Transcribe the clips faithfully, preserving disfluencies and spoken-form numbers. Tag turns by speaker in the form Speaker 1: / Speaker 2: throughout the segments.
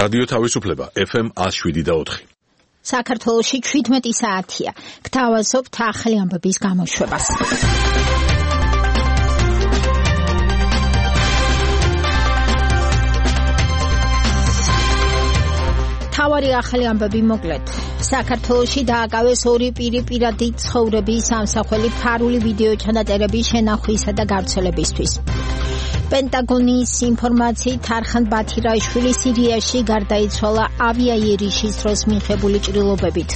Speaker 1: რადიო თავისუფლება F M one oh seven და four.
Speaker 2: საქართველოში შვიდმეტი საათია. გთავაზობთ ახალი ამბების გამოშვებას. თავარი ახალი ამბები მოკლედ. საქართველოში დააკავეს ორი პირი პირადი ცხოვრების ამსახველი ფარული ვიდეო ჩანაწერების შენახვისა და გავრცელებისთვის. პენტაგონის ინფორმაციით არხან ბათირაშვილი სირიაში გარდაიცვალა ავიაიერიშის დროს მიღებული ჭრილობებით.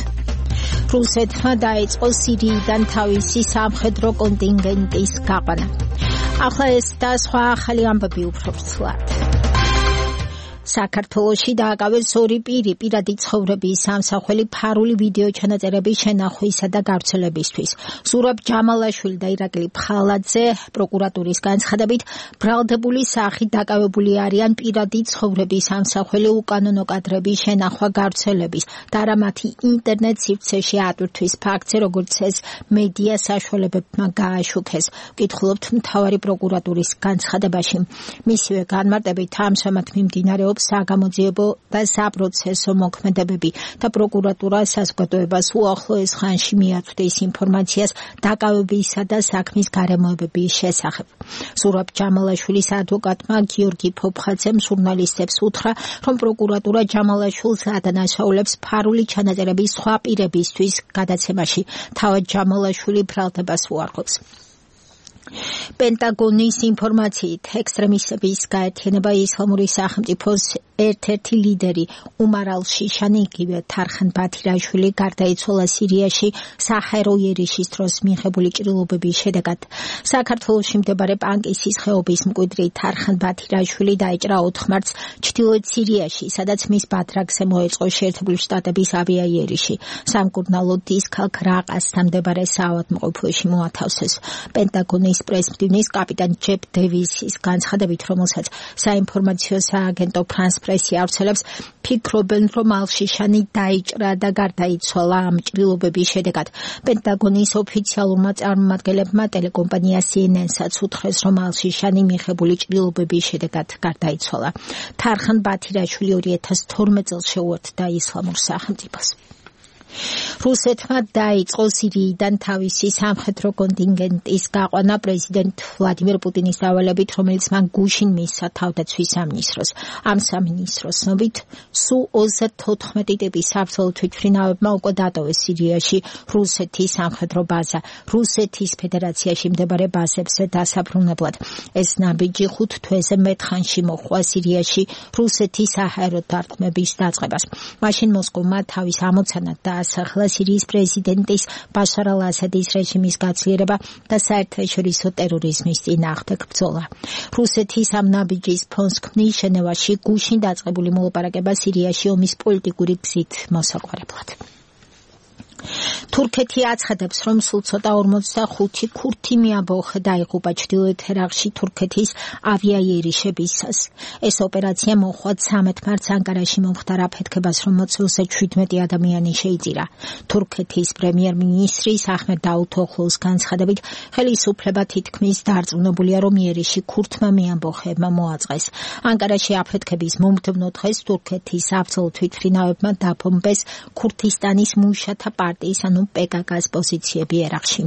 Speaker 2: რუსეთმა დაიწყო სირიიდან თავისი სამხედრო კონტინგენტის გაყვანა. ახლა ეს და სხვა ახალი ამბები უფრო ვრცლად. საქართველოში დააკავეს ორი პირი პირადი ცხოვრების ამსახველი ფარული ვიდეო ჩანაწერების შენახვისა და გავრცელებისთვის. ზურაბ ჯამალაშვილი და ირაკლი ფხალაძე პროკურატურის განცხადებით ბრალდებული სახით დაკავებული არიან პირადი ცხოვრების ამსახველი უკანონო კადრების შენახვა გავრცელების და არა მათი ინტერნეტ სივრცეში ატვირთვის ფაქტზე, როგორც ეს მედია საშუალებებმა გააშუქეს. ვკითხულობთ მთავარი პროკურატურის განცხადებაში. მისივე განმარტებით ამჟამად მიმდინარეობს საგამოძიებო და საპროცესო მოქმედებები და პროკურატურა საზოგადოებას უახლოეს ხანში მიაწვდის ინფორმაციას დაკავებისა და საქმის გარემოებების შესახებ. ზურაბ ჯამალაშვილის ადვოკატმა გიორგი ფოფხაძემ ჟურნალისტებს უთხრა, რომ პროკურატურა ჯამალაშვილს ადანაშაულებს ფარული ჩანაწერების სხვა პირებისთვის გადაცემაში. თავად ჯამალაშვილი ბრალდებას უარყოფს. პენტაგონის ინფორმაციით ექსტრემისტების გაერთიანება ისლამური სახელმწიფოს ერთ-ერთი ლიდერი უმარ ალ-შიშანი იგივე თარხან ბათირაშვილი გარდაიცვალა სირიაში საჰაერო იერიშის დროს მიღებული ჭრილობების შედეგად. საქართველოში მდებარე პანკისის ხეობის მკვიდრი თარხან ბათირაშვილი დაიჭრა ოთხ მარტს ჩრდილოეთ სირიაში, სადაც მის ბათრაგზე მოეწყო შეერთებული შტატების ავიაიერიში. სამკურნალო დის ქალაქ რაყასთან მდებარე საავადმყოფოში მოათავსეს. პენტაგონის პრესმდივნის კაპიტან ჯებ დევისის განცხადებით, რომელსაც საინფორმაციო სააგენტო ფრანს პრესი ავრცელებს, ფიქრობენ, რომ ალ-შიშანი დაიჭრა და გარდაიცვალა ამ ჭრილობების შედეგად. პენტაგონის ოფიციალურმა წარმომადგენლებმა ტელეკომპანია C N N-საც უთხრეს, რომ ალ-შიშანი მიღებული ჭრილობების შედეგად გარდაიცვალა. თარხან ბათირაშვილი ორი ათას თორმეტ წელს შეუერთდა ისლამურ სახელმწიფოს. რუსეთმა დაიწყო სირიიდან თავისი სამხედრო კონტინგენტის გაყვანა პრეზიდენტ ვლადიმერ პუტინის დავალებით, რომელიც მან გუშინ მისცა თავდაცვის სამინისტროს. ამ სამინისტროს ცნობით, სუ ოცდაოთხმეტი ტიპის საბრძოლო თვითმფრინავებმა უკვე დატოვეს სირიაში რუსეთის სამხედრო ბაზა. რუსეთის ფედერაციაში მდებარე ბაზებზე დასაბრუნებლად. ეს ნაბიჯი ხუთ თვეზე მეტხანში მოჰყვა სირიაში რუსეთის საჰაერო დარტყმების დაწყებას. მაშინ მოსკოვმა თავის ამოცანად და ახლა სირიის პრეზიდენტის ბაშარ ალ-ასადის რეჟიმის გაცილება და საერთაშორისო ტერორიზმის წინააღმდეგ ბრძოლა. რუსეთის ამ ნაბიჯის ფონს ქმნის ჟენევაში გუშინ დაწყებული მოლაპარაკება სირიაში ომის პოლიტიკური გზით მოსაყვარებლად. თურქეთი აცხადებს, რომ სულ ცოტა ორმოცდახუთი ქურთი მეამბოხე დაიღუპა ჩრდილოეთ ერაყში თურქეთის ავიაიერიშებისას. ეს ოპერაცია მოჰყვა ცამეტ მარტს ანკარაში მომხდარ აფეთქებას, რომელსაც შვიდმეტი ადამიანი შეიწირა. თურქეთის პრემიერ-მინისტრის აჰმედ დაუთოღლუს განცხადებით, ხელისუფლება თითქმის დარწმუნებულია, რომ იერიში ქურთმა მეამბოხეებმა მოაწყეს. ანკარაში აფეთქების მომდევნო დღეს თურქეთის საბრძოლო თვითმფრინავებმა დაბომბეს ქურთისტანის მუშათა პარტიის ანუ P K K-ს პოზიციები ერაყში.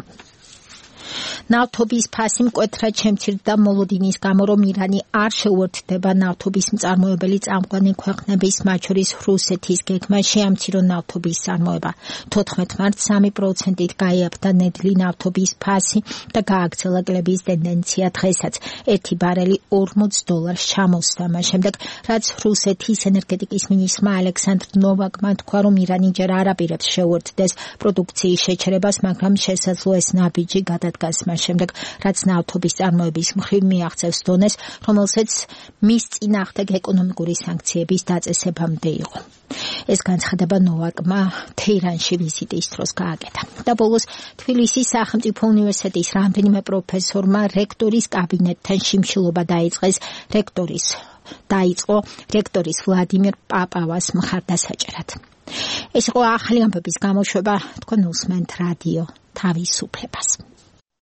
Speaker 2: ნავთობის ფასი მკვეთრად შემცირდა მოლოდინის გამო, რომ ირანი არ შეუერთდება ნავთობის მწარმოებელი წამყვანი ქვეყნების, მათ შორის რუსეთის გეგმა შეამცირო ნავთობის წარმოება. თოთხმეტ მარტს სამი პროცენტით გაიაფთა ნედლი ნავთობის ფასი და გააგრძელა კლების ტენდენცია დღესაც. ერთი ბარელი ორმოც დოლარს ჩამოსდა, მას შემდეგ, რაც რუსეთის ენერგეტიკის მინისტრმა ალექსანდრ ნოვაკმა თქვა, რომ ირანი ჯერ არ აპირებს შეუერთდეს პროდუქციის შეჩერებას, მაგრამ შესაძლოა ეს ნაბიჯი გადადგას მას შემდეგ, რაც ნავთობის წარმოების მხრივ მიაღწევს დონეს, რომელსაც მის წინააღმდეგ ეკონომიკური სანქციების დაწესებამდე იყო. ეს განცხადება ნოვაკმა თეირანში ვიზიტის დროს გააკეთა. და ბოლოს თბილისის სახელმწიფო უნივერსიტეტის რამდენიმე პროფესორმა რექტორის კაბინეტთან შიმშილობა დაიწყეს რექტორის დაიწყო რექტორის ვლადიმერ პაპავას მხარდასაჭერად. ეს იყო ახალი ამბების გამოშვება, თქვენ უსმენთ რადიო თავისუფლებას.